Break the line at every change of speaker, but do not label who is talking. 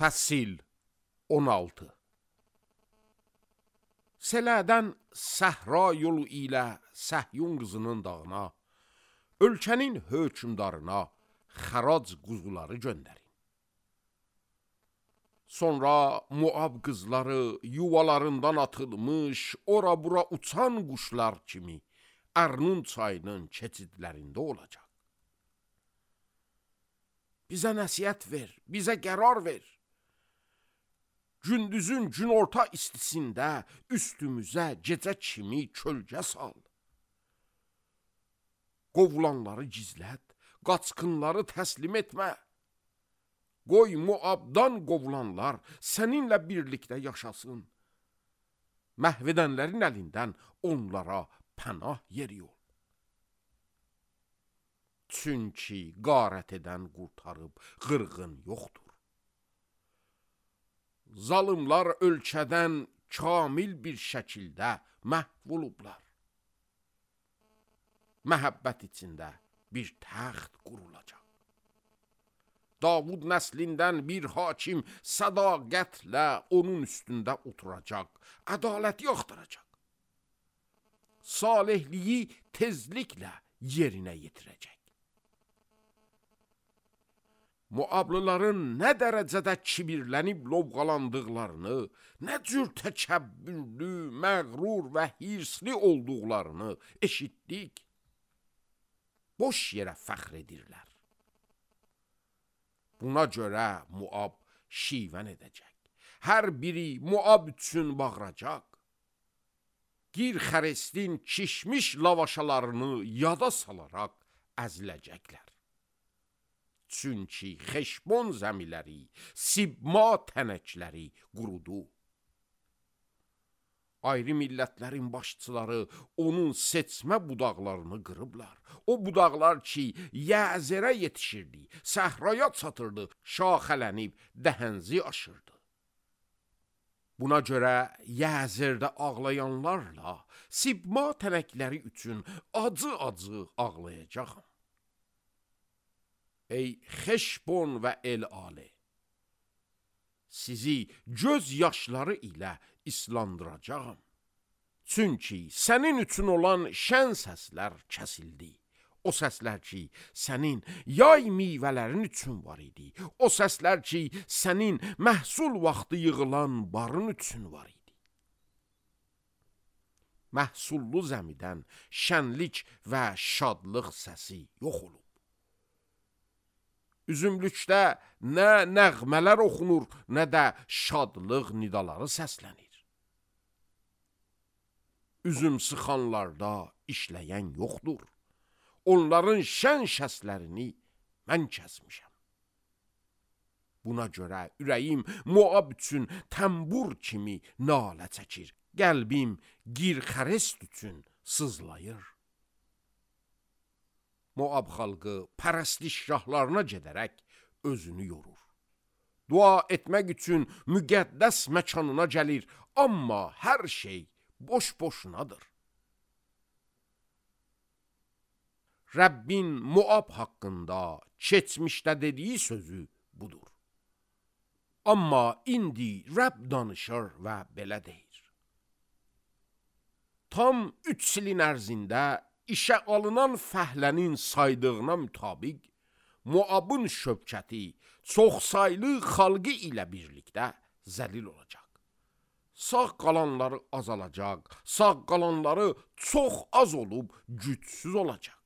Fəsil 16. Sələdən səhra yolu ilə Səhyun qızının dağına, ölkənin hökmdarına xərac quzuları göndərin. Sonra Muab qızları yuvalarından atılmış, ora-bura uçan quşlar kimi Ərnun çayının keçidlərində olacaq. Bizə nəsihət ver, bizə qərar ver. Gündüzün günorta istisində üstümüzə gecə kimi kölgə sal. Qovulanları gizlət, qaçqınları təslim etmə. Qoy Muabdan qovulanlar səninlə birlikdə yaşasın. Məhv edənlərin əlindən onlara pənah yeri ol. Çünki qarət edən qurtarıb qırğın yoxdur. Zalımlar ölkədən kamil bir şəkildə məhv olublar. Məhəbbət içində bir təxt qurulacaq. Davud nəslindən bir hakim sədaqətlə onun üstündə oturacaq, ədaləti axtaracaq. Salihliyi tezliklə yerinə yetirəcək. Muablıların nə dərəcədə kibirlənib lovğalandıqlarını, nə cür təkəbbürlü, məğrur və hirsli olduqlarını eşitdik. Boş yerə fəxr edirlər. Buna görə Muab şivən edəcək. Hər biri Muab üçün bağıracaq. Gir xərestin kişmiş lavaşalarını yada salaraq əziləcəklər. Çünki Xeşbon zəmiləri, Sibma tənəkləri qurudu. Ayrı millətlərin başçıları onun seçmə budaqlarını qırıblar. O budaqlar ki, Yəzərə yetişirdi, səhraya çatırdı, şaxələnib dəhənzi aşırdı. Buna görə Yəzərdə ağlayanlarla Sibma tənəkləri üçün acı-acı ağlayacağam. Ey Xeşbon və El-Ale, sizi göz yaşları ilə islandıracağam. Çünki sənin üçün olan şən səslər kəsildi. O səslər ki, sənin yay meyvələrin üçün var idi. O səslər ki, sənin məhsul vaxtı yığılan barın üçün var idi. Məhsullu zəmidən şənlik və şadlıq səsi yox olub. Üzümlükdə nə nəğmələr oxunur, nə də şadlıq nidaları səslənir. Üzüm sıxanlarda işləyən yoxdur. Onların şən şəslərini mən kəsmişəm. Buna görə ürəyim Muab üçün təmbur kimi nalə çəkir. Qəlbim girxərest üçün sızlayır. Muab xalqı pərəstişgahlarına gedərək özünü yorur. Dua etmək üçün müqəddəs məkanına gəlir, amma hər şey boş-boşunadır. Rəbbin Muab haqqında keçmişdə dediyi sözü budur. Amma indi Rəbb danışır və belə deyir. Tam 3 ilin ərzində İşə alınan fəhlənin saydığına mütabiq, Muabın şövkəti çoxsaylı xalqı ilə birlikdə zəlil olacaq. Sağ qalanları azalacaq, sağ qalanları çox az olub gücsüz olacaq.